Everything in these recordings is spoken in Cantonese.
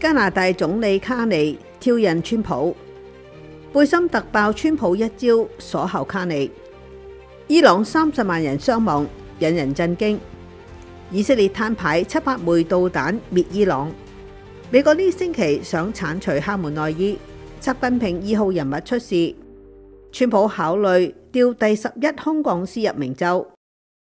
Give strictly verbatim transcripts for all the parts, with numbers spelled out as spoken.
加拿大總理卡尼挑釁川普，背心突爆川普一招鎖喉卡尼。伊朗三十萬人傷亡，引人震驚。以色列攤牌七百枚導彈滅伊朗。美國呢星期想剷除哈門內伊，習近平二號人物出事。川普考慮調第十一空降師入明州。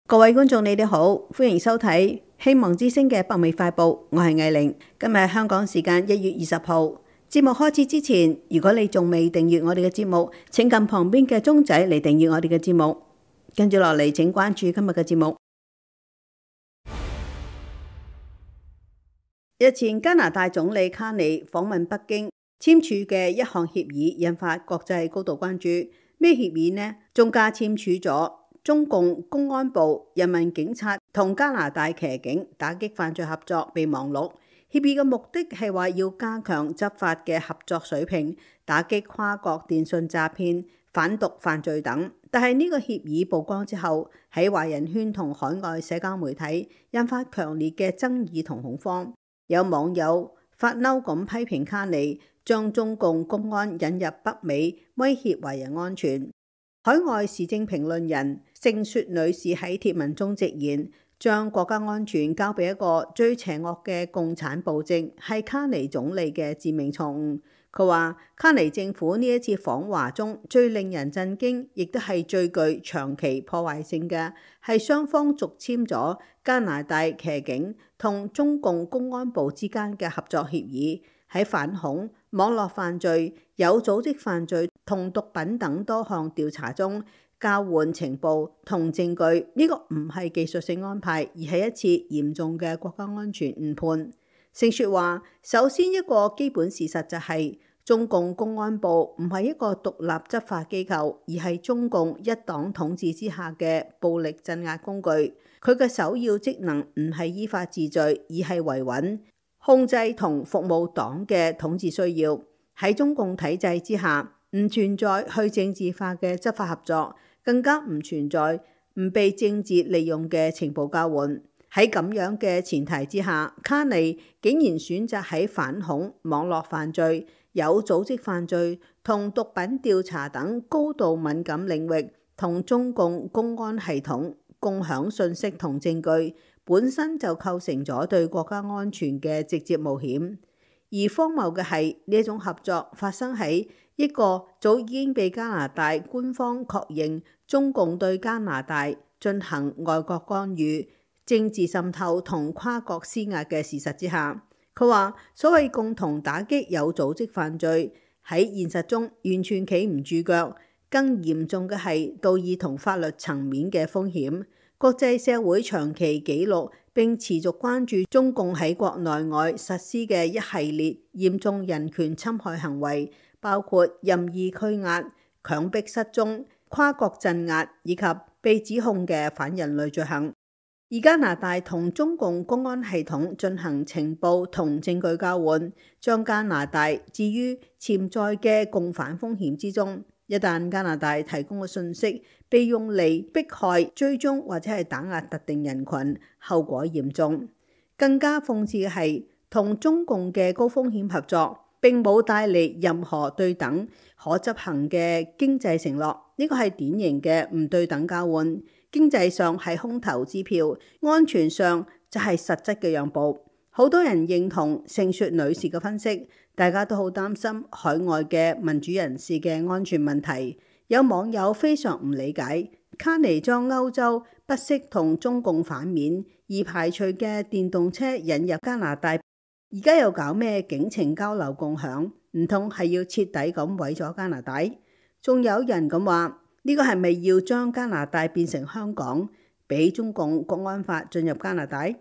各位觀眾，你哋好，歡迎收睇希望之聲嘅北美快報，我係藝玲。今日係香港時間一月二十號。節目開始之前，如果你仲未訂閱我哋嘅節目，請撳旁邊嘅鐘仔嚟訂閱我哋嘅節目。跟住落嚟，請關注今日嘅節目。日前加拿大總理卡尼訪問北京，簽署嘅一項協議引發國際高度關注。咩協議呢？中加簽署咗中共公安部、人民警察同加拿大騎警打擊犯罪合作備忘錄。協議嘅目的係話要加強執法嘅合作水平，打擊跨國電信詐騙、販毒犯罪等。但係呢個協議曝光之後，喺華人圈同海外社交媒體引發強烈嘅爭議同恐慌。有網友發嬲咁批評卡尼將中共公安引入北美，威脅華人安全。海外時政評論人盛雪女士喺貼文中直言，將國家安全交俾一個最邪惡嘅共產暴政，係卡尼總理嘅致命錯誤。佢話卡尼政府呢一次訪華中最令人震驚，亦都係最具長期破壞性嘅，係雙方續簽咗加拿大騎警同中共公安部之間嘅合作協議，喺反恐、網絡犯罪、有組織犯罪同毒品等多項調查中交換情報同證據。呢個唔係技術性安排，而係一次嚴重嘅國家安全誤判。盛雪話，首先一個基本事實就係、是、中共公安部唔係一個獨立執法機構，而係中共一黨統治之下嘅暴力鎮壓工具。佢嘅首要職能唔係依法治罪，而係維穩、控制同服務黨嘅統治需要。喺中共體制之下，唔存在去政治化嘅執法合作，更加唔存在唔被政治利用嘅情報交換。喺咁樣嘅前提之下，卡尼竟然選擇喺反恐、網絡犯罪、有組織犯罪同毒品調查等高度敏感領域同中共公安系統共享信息同證據，本身就構成咗對國家安全嘅直接冒險。而荒謬嘅係，呢一種合作發生喺一個早已經被加拿大官方確認中共對加拿大進行外國干預、政治滲透同跨國施壓嘅事實之下。佢話所謂共同打擊有組織犯罪喺現實中完全企唔住腳，更嚴重嘅係道義同法律層面嘅風險。國際社會長期記錄並持續關注中共喺國內外實施嘅一系列嚴重人權侵害行為，包括任意拘押、強迫失蹤、跨國鎮壓以及被指控嘅反人類罪行。而加拿大同中共公安系統進行情報同證據交換，將加拿大置於潛在嘅共犯風險之中。一旦加拿大提供嘅信息被用嚟迫害、追蹤或者係打壓特定人群，後果嚴重。更加諷刺嘅係，同中共嘅高風險合作並冇帶嚟任何對等可執行嘅經濟承諾，呢個係典型嘅唔對等交換。經濟上係空頭支票，安全上就係實質嘅讓步。好多人認同盛雪女士嘅分析，大家都好擔心海外嘅民主人士嘅安全問題。有網友非常唔理解，卡尼將歐洲不惜同中共反面而排除嘅電動車引入加拿大，而家又搞咩警情交流共享？唔通係要徹底咁毀咗加拿大？仲有人咁話，呢個係咪要將加拿大變成香港，俾中共國安法進入加拿大？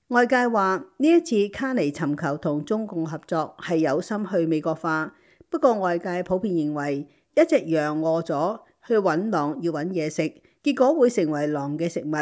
外界話呢一次卡尼尋求同中共合作係有心去美國化，不過外界普遍認為一隻羊餓咗去揾狼要揾嘢食，結果會成為狼嘅食物。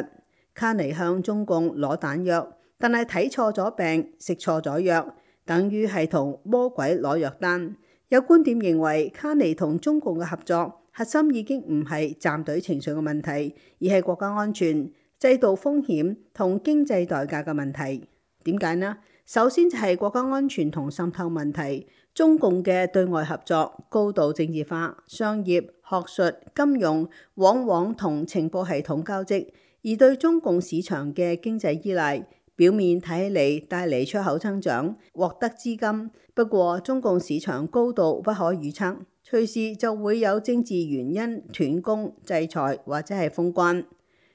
卡尼向中共攞彈藥，但係睇錯咗病，食錯咗藥，等於係同魔鬼攞藥單。有觀點認為卡尼同中共嘅合作核心已經唔係站隊情緒嘅問題，而係國家安全、制度風險同經濟代價嘅問題。點解呢？首先就係國家安全同滲透問題。中共嘅對外合作高度政治化，商業、學術、金融往往同情報系統交織，而對中共市場嘅經濟依賴，表面睇起嚟帶嚟出口增長，獲得資金。不過中共市場高度不可預測，隨時就會有政治原因斷供、制裁或者係封關。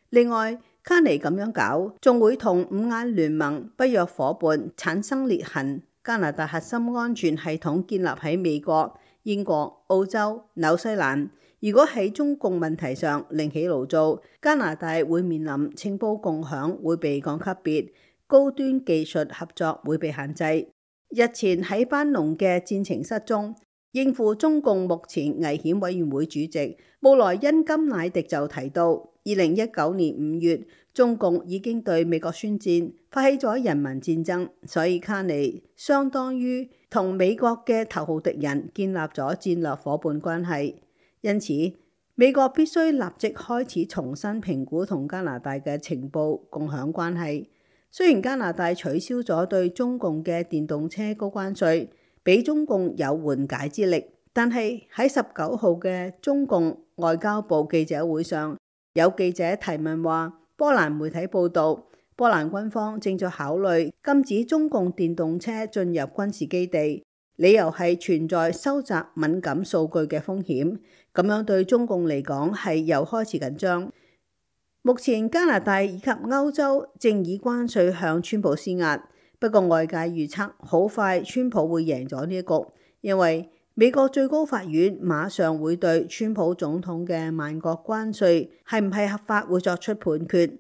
另外，卡尼咁樣搞，仲會同五眼聯盟北約夥伴產生裂痕。加拿大核心安全系統建立喺美國、英國、澳洲、紐西蘭。如果喺中共問題上另起爐灶，加拿大會面臨情報共享會被降級別，高端技術合作會被限制。日前喺班農嘅戰情室中，應付中共目前危險委員會主席布萊恩甘乃迪就提到，二零一九年五月，中共已經對美國宣戰，發起咗人民戰爭，所以卡尼相當於同美國嘅頭號敵人建立咗戰略夥伴關係。因此，美國必須立即開始重新評估同加拿大嘅情報共享關係。雖然加拿大取消咗對中共嘅電動車高關稅，俾中共有緩解之力，但係喺十九號嘅中共外交部記者會上，有記者提問話，波蘭媒體報道，波蘭軍方正在考慮禁止中共電動車進入軍事基地，理由係存在收集敏感數據嘅風險。咁樣對中共嚟講係又開始緊張。目前加拿大以及歐洲正以關稅向川普施壓，不過外界預測好快川普會贏咗呢一局，因為美國最高法院馬上會對川普總統嘅萬國關稅係唔係合法會作出判決。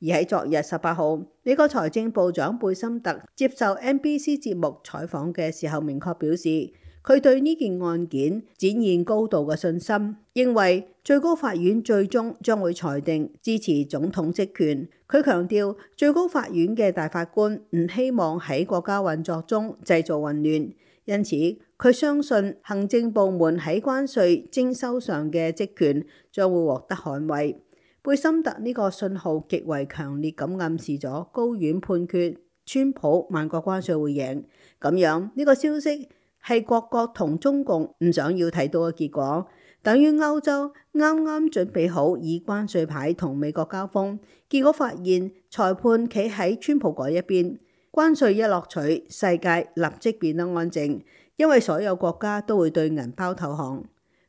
而喺昨日十八號，美國財政部長貝森特接受 N B C 節目採訪嘅時候，明確表示佢對呢件案件展現高度嘅信心，認為最高法院最終將會裁定支持總統職權。佢強調最高法院嘅大法官唔希望喺國家運作中製造混亂，因此佢相信行政部門喺關稅徵收上嘅職權將會獲得捍衛。貝森特呢個信號極為強烈咁暗示咗高院判決川普萬國關稅會贏，咁樣呢個消息係各國同中共唔想要睇到嘅結果，等於歐洲啱啱準備好以關稅牌同美國交鋒，結果發現裁判企喺川普嗰一邊，關稅一落取，世界立即變得安靜。因為所有國家都會對銀包投降。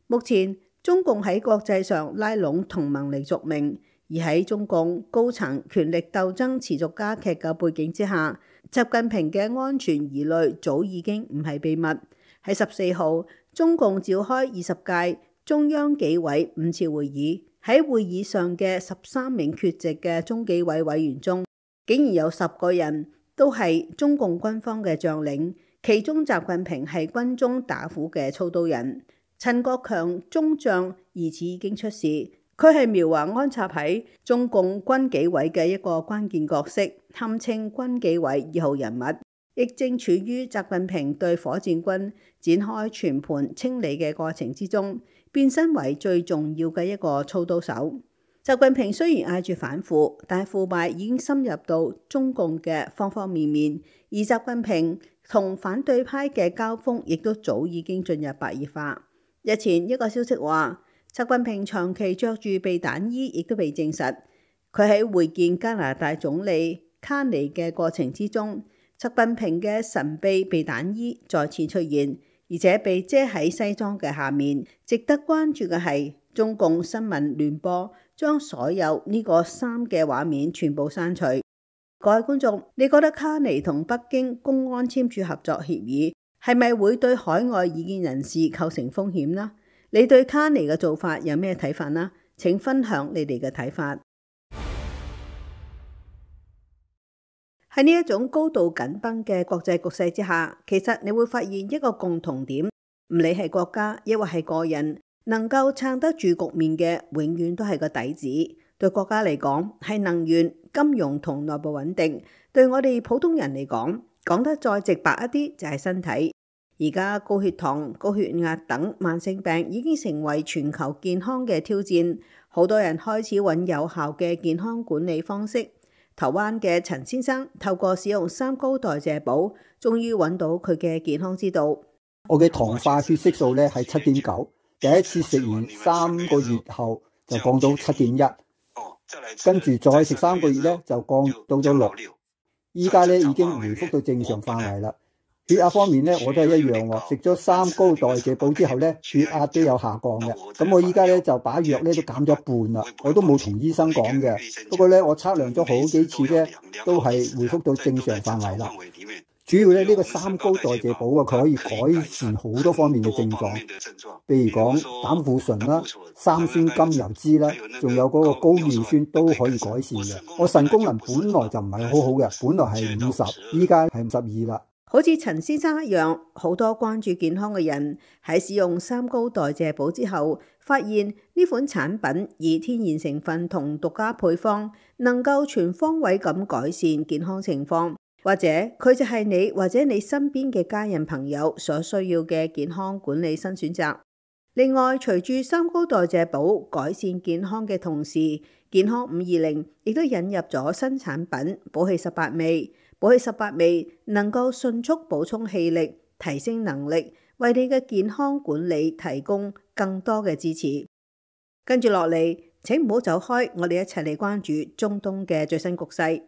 目前中共喺國際上拉攏同盟嚟續命，而喺中共高層權力鬥爭持續加劇嘅背景之下，習近平嘅安全疑慮早已經唔係秘密。喺十四號，中共召開二十屆中央紀委五次會議，喺會議上嘅十三名缺席嘅中紀委委員中，竟然有十個人都係中共軍方嘅將領。其中習近平係軍中打虎嘅操刀人，陳國強中將疑似已經出事，佢係苗華安插喺中共軍紀委嘅一個關鍵角色，堪稱軍紀委二號人物，亦正處於習近平對火箭軍展開全盤清理嘅過程之中，變身為最重要嘅一個操刀手。習近平雖然嗌住反腐，但腐敗已經深入到中共嘅方方面面，而習近平同反對派嘅交鋒亦都早已經進入白熱化。日前一個消息話，習近平長期着住避彈衣，亦都被證實。佢喺會見加拿大總理卡尼嘅過程之中，習近平嘅神秘避彈衣再次出現，而且被遮喺西裝嘅下面。值得關注嘅係，中共新聞聯播將所有呢個衫嘅畫面全部刪除。各位觀眾，你覺得卡尼同北京公安簽署合作協議係咪會對海外異見人士構成風險呢？你對卡尼嘅做法有咩睇法呢？請分享你哋嘅睇法。喺呢一種高度緊繃嘅國際局勢之下，其實你會發現一個共同點，唔理係國家抑或係個人，能夠撐得住局面嘅，永遠都係個底子。對國家嚟講係能源、金融同內部穩定，對我哋普通人嚟講，講得再直白一啲就係身體。而家高血糖、高血壓等慢性病已經成為全球健康嘅挑戰，好多人開始揾有效嘅健康管理方式，台灣嘅陳先生透過使用三高代謝寶，終於揾到佢嘅健康之道。我嘅糖化血色素咧係七點九，第一次食完三個月後就降到七點一，跟住再食三個月咧就降到咗六，依家咧已經回復到正常範圍啦。血壓方面咧，我都係一樣喎。食咗三高代謝寶之後咧，血壓都有下降嘅。咁我依家咧就把藥咧都減咗一半啦。我都冇同醫生講嘅。不過咧，我測量咗好幾次咧，都係回復到正常範圍啦。主要咧呢個三高代謝寶啊，佢可以改善好多方面嘅症狀，譬如講膽固醇啦、三酸甘油酯啦，仲有嗰個高尿酸都可以改善嘅。我腎功能本來就唔係好好嘅，本來係五十，依家係五十二啦。好似陳先生一樣，好多關注健康嘅人喺使用三高代謝寶之後，發現呢款產品以天然成分同獨家配方，能夠全方位咁改善健康情況，或者佢就係你或者你身邊嘅家人朋友所需要嘅健康管理新選擇。另外，隨住三高代謝寶改善健康嘅同時，健康五二零亦都引入咗新產品寶氣十八味。寶氣十八味能夠迅速補充氣力，提升能力，為你嘅健康管理提供更多嘅支持。跟住落嚟，請唔好走開，我哋一齊嚟關注中東嘅最新局勢。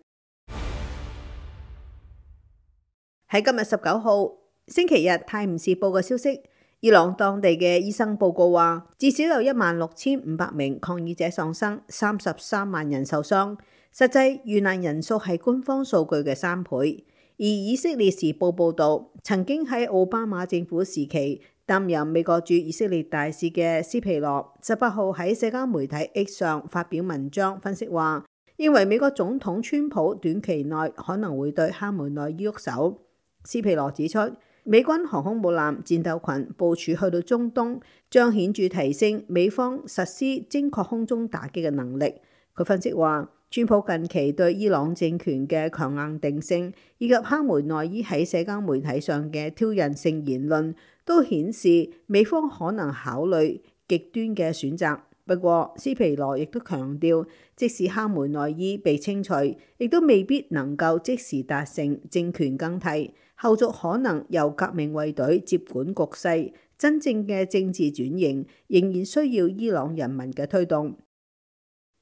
喺今日十九號星期日，《泰晤士報》嘅消息，伊朗當地嘅醫生報告話，至少有一萬六千五百名抗議者喪生，三十三萬人受傷。實際遇難人數係官方數據嘅三倍。而以色列時報報導，曾經喺奧巴馬政府時期擔任美國駐以色列大使嘅斯皮羅，十八號喺社交媒體 X 上發表文章分析話，認為美國總統川普短期內可能會對哈梅內伊喐手。斯皮羅指出，美軍航空母艦戰鬥群部署去到中東，將顯著提升美方實施精確空中打擊嘅能力。佢分析話，川普近期對伊朗政權嘅強硬定性，以及哈梅內伊喺社交媒體上嘅挑釁性言論，都顯示美方可能考慮極端嘅選擇。不過，斯皮羅亦都強調，即使哈梅內伊被清除，亦都未必能夠即時達成政權更替，後續可能由革命衛隊接管局勢，真正嘅政治轉型仍然需要伊朗人民嘅推動。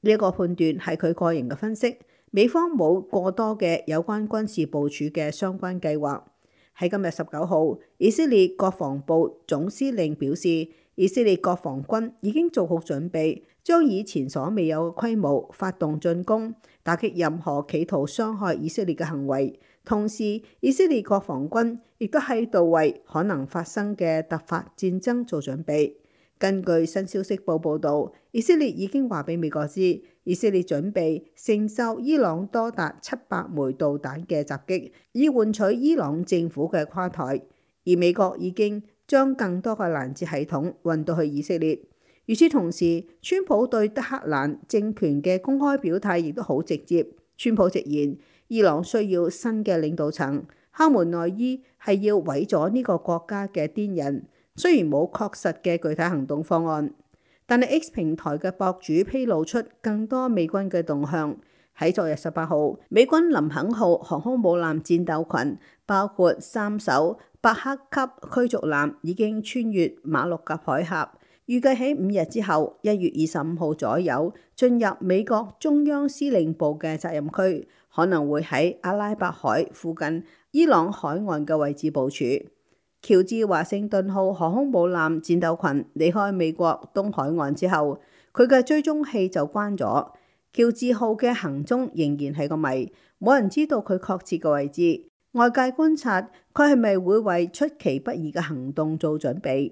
呢一個判斷係佢個人嘅分析，美方冇過多嘅有關軍事部署嘅相關計劃。喺今日十九號，以色列國防部總司令表示，以色列國防軍已經做好準備，將以前所未有嘅規模發動進攻，打擊任何企圖傷害以色列嘅行為。同時，以色列國防軍亦都喺度為可能發生嘅突發戰爭做準備。根據新消息報報導，以色列已經話俾美國知，以色列準備承受伊朗多達七百枚導彈嘅襲擊，以換取伊朗政府嘅垮台。而美國已經將更多嘅攔截系統運到去以色列。與此同時，川普對德黑蘭政權嘅公開表態亦都好直接。川普直言，伊朗需要新嘅領導層，哈梅內伊係要毀咗呢個國家嘅癲人。雖然冇確實嘅具體行動方案，但係 X 平台嘅博主披露出更多美軍嘅動向。喺昨日十八號，美軍林肯號航空母艦戰鬥群包括三艘伯克級驅逐艦已經穿越馬六甲海峽，預計喺五日之後，一月二十五號左右進入美國中央司令部嘅責任區，可能會喺阿拉伯海附近伊朗海岸嘅位置部署。喬治華盛頓號航空母艦戰鬥群離開美國東海岸之後，佢嘅追蹤器就關咗。喬治號嘅行蹤仍然係個謎，冇人知道佢確切嘅位置。外界觀察佢係咪會為出其不意嘅行動做準備。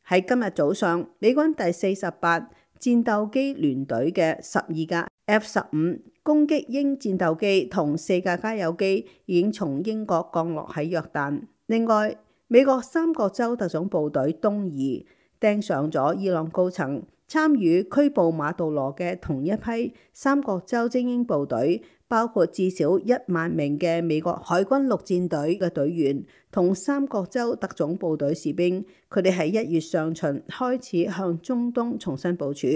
喺今日早上，美軍第四十八戰鬥機聯隊嘅十二架 F 十五攻擊鷹戰鬥機同四架加油機已經從英國降落喺約旦。另外，美國三角洲特種部隊東移盯上咗伊朗高層，參與拘捕馬杜羅嘅同一批三角洲精英部隊，包括至少一萬名嘅美國海軍陸戰隊嘅隊員同三角洲特種部隊士兵。佢哋喺一月上旬開始向中東重新部署。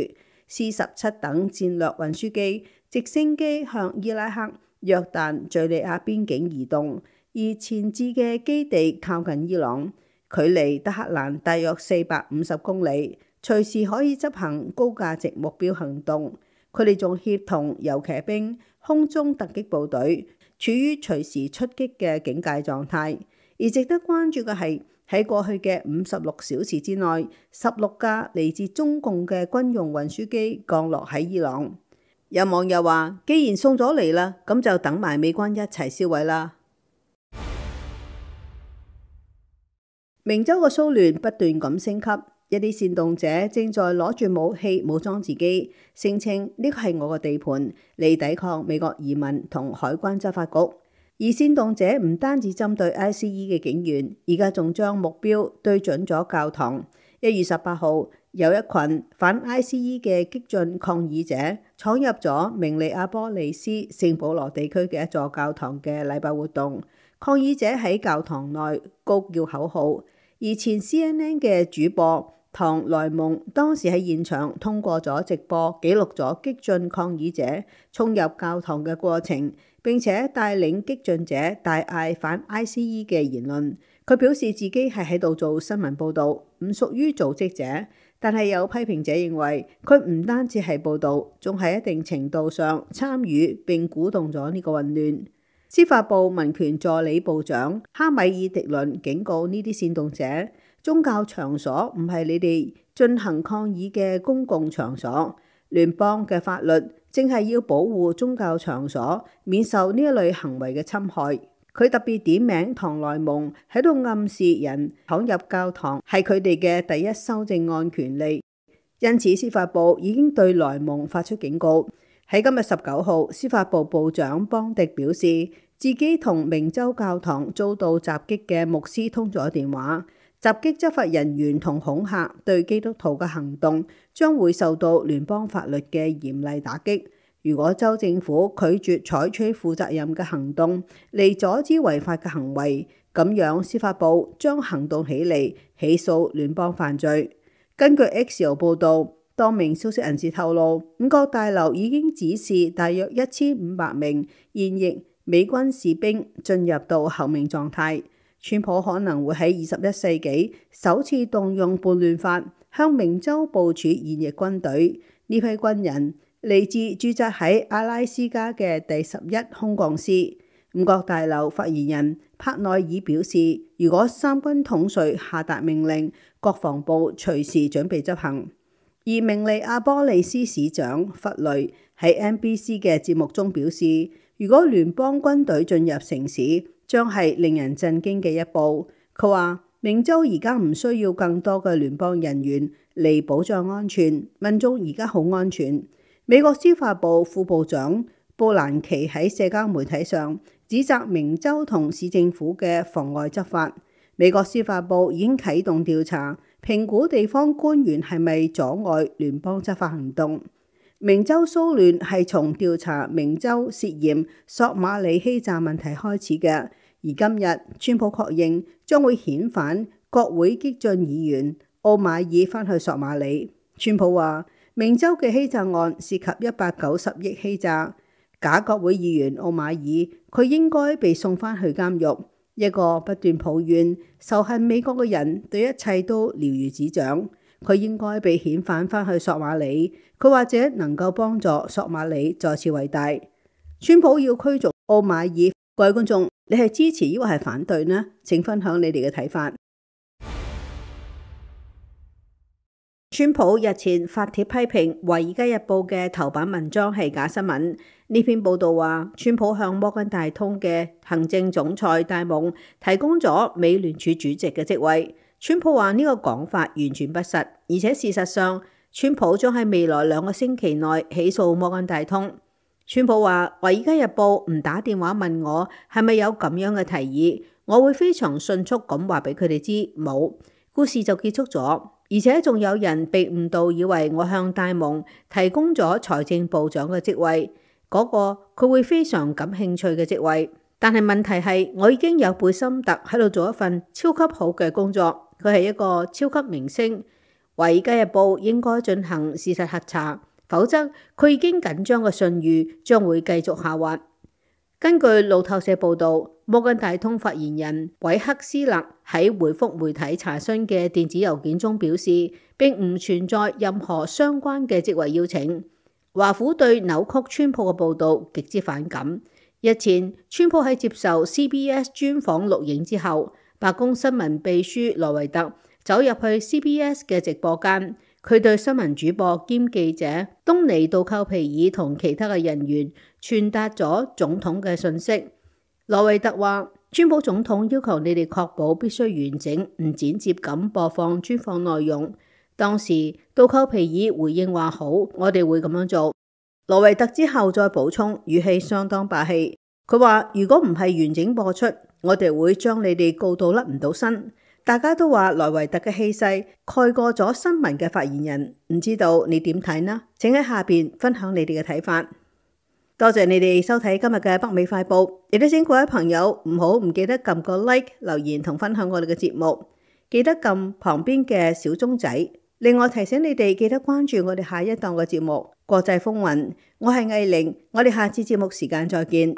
C 十七等戰略運輸機、直升機向伊拉克、約旦、敘利亞邊境移動，而前置嘅基地靠近伊朗，距離德黑蘭大約四百五十公里，隨時可以執行高價值目標行動。佢哋仲協同遊騎兵、空中突擊部隊，處於隨時出擊嘅警戒狀態。而值得關注嘅係，喺過去嘅五十六小時之內，十六架嚟自中共嘅軍用運輸機降落喺伊朗。有網友話：既然送咗嚟啦，咁就等埋美軍一齊銷毀啦。明州嘅騷亂不斷咁升級，一啲煽動者正在攞住武器武裝自己，聲稱呢個係我嘅地盤，嚟抵抗美國移民同海關執法局。而煽動者唔單止針對 I C E 嘅警員，而家仲將目標對準咗教堂。一月十八號，有一群反 I C E 嘅激進抗議者闖入咗明尼阿波利斯聖保羅地區嘅一座教堂嘅禮拜活動，抗議者喺教堂內高叫口號，而前 C N N 嘅主播唐萊蒙當時喺現場通過咗直播記錄咗激進抗議者衝入教堂嘅過程，並且帶領激進者大嗌反 I C E 嘅言論。佢表示自己係喺度做新聞報導，唔屬於組織者。但係有批評者認為佢唔單止係報導，仲係一定程度上參與並鼓動咗呢個混亂。司法部民權助理部長哈米爾迪倫警告呢啲煽動者，宗教場所唔係你哋進行抗議嘅公共場所。聯邦嘅法律正係要保護宗教場所免受呢一類行為嘅侵害。佢特別點名唐萊蒙喺度暗示人闖入教堂係佢哋嘅第一修正案權利，因此司法部已經對萊蒙發出警告。喺今日十九號，司法部部長邦迪表示，自己同明州教堂遭到襲擊嘅牧師通咗電話，襲擊執法人員同恐嚇對基督徒嘅行動將會受到聯邦法律嘅嚴厲打擊。如果州政府拒絕採取負責任嘅行動嚟阻止違法嘅行為，咁樣司法部將行動起嚟起訴聯邦犯罪。根據 Axios 報導，多名消息人士透露，五角大樓已經指示大約一千五百名現役美軍士兵進入到候命狀態。川普可能會喺二十一世紀首次動用叛亂法，向明州部署現役軍隊。呢批軍人嚟自駐紮喺阿拉斯加嘅第十一空降師。五角大樓發言人帕內爾表示，如果三軍統帥下達命令，國防部隨時準備執行。而明尼阿波利斯市長弗雷喺 N B C 嘅節目中表示，如果聯邦軍隊進入城市，將係令人震驚嘅一步。佢話明州而家唔需要更多嘅聯邦人員嚟保障安全，民眾而家好安全。美國司法部副部長布蘭奇喺社交媒體上指責明州同市政府嘅妨礙執法。美國司法部已經啟動調查，評估地方官員係咪阻礙聯邦執法行動。明州騷亂係從調查明州涉嫌索馬里欺詐問題開始嘅，而今日川普確認將會遣返國會激進議員奧馬爾返去索馬里。川普話，明州嘅欺詐案涉及一百九十億欺詐，假國會議員奧馬爾佢應該被送返去監獄。一個不斷抱怨仇恨美國嘅人對一切都了如指掌，佢應該被遣返返去索馬里，佢或者能夠幫助索馬里再次偉大。川普要驅逐奧馬爾，各位觀眾，你係支持抑或係反對呢？請分享你哋嘅睇法。川普日前發帖批評《華爾街日報》嘅頭版文章係假新聞。呢篇報道話，川普向摩根大通嘅行政總裁戴蒙提供咗美聯儲主席嘅職位。川普話呢個講法完全不實，而且事實上，川普將喺未來兩個星期內起訴摩根大通。川普話，《華爾街日報》唔打電話問我係咪有咁樣嘅提議，我會非常迅速咁話俾佢哋知冇。故事就結束咗。而且仲有人被誤導，以為我向戴蒙提供咗財政部長嘅職位，嗰個佢會非常感興趣嘅職位。但係問題係，我已經有貝森特喺度做一份超級好嘅工作，佢係一個超級明星。華爾街日報應該進行事實核查，否則佢已經緊張嘅信譽將會繼續下滑。根據路透社報導，摩根大通發言人韋克斯勒喺回覆媒體查詢嘅電子郵件中表示，並唔存在任何相關嘅職位邀請。華府對扭曲川普嘅報導極之反感。日前，川普喺接受 C B S 專訪錄影之後，白宮新聞秘書羅維特走入去 C B S 嘅直播間，佢對新聞主播兼記者東尼杜寇皮爾同其他嘅人員傳達咗總統嘅訊息。羅維特話：川普總統要求你哋確保必須完整唔剪接咁播放專訪內容。當時杜寇皮爾回應話：好，我哋會咁樣做。羅維特之後再補充，語氣相當霸氣。佢話：如果唔係完整播出，我哋會將你哋告到甩唔到身。大家都話羅維特嘅氣勢蓋過咗新聞嘅發言人，唔知道你點睇呢？請喺下邊分享你哋嘅睇法。多謝你哋收睇今日嘅北美快報，亦都請各位朋友唔好唔記得撳個 like、留言同分享我哋嘅節目，記得撳旁邊嘅小鐘仔。另外提醒你哋記得關注我哋下一檔嘅節目《國際風雲》，我係藝玲，我哋下次節目時間再見。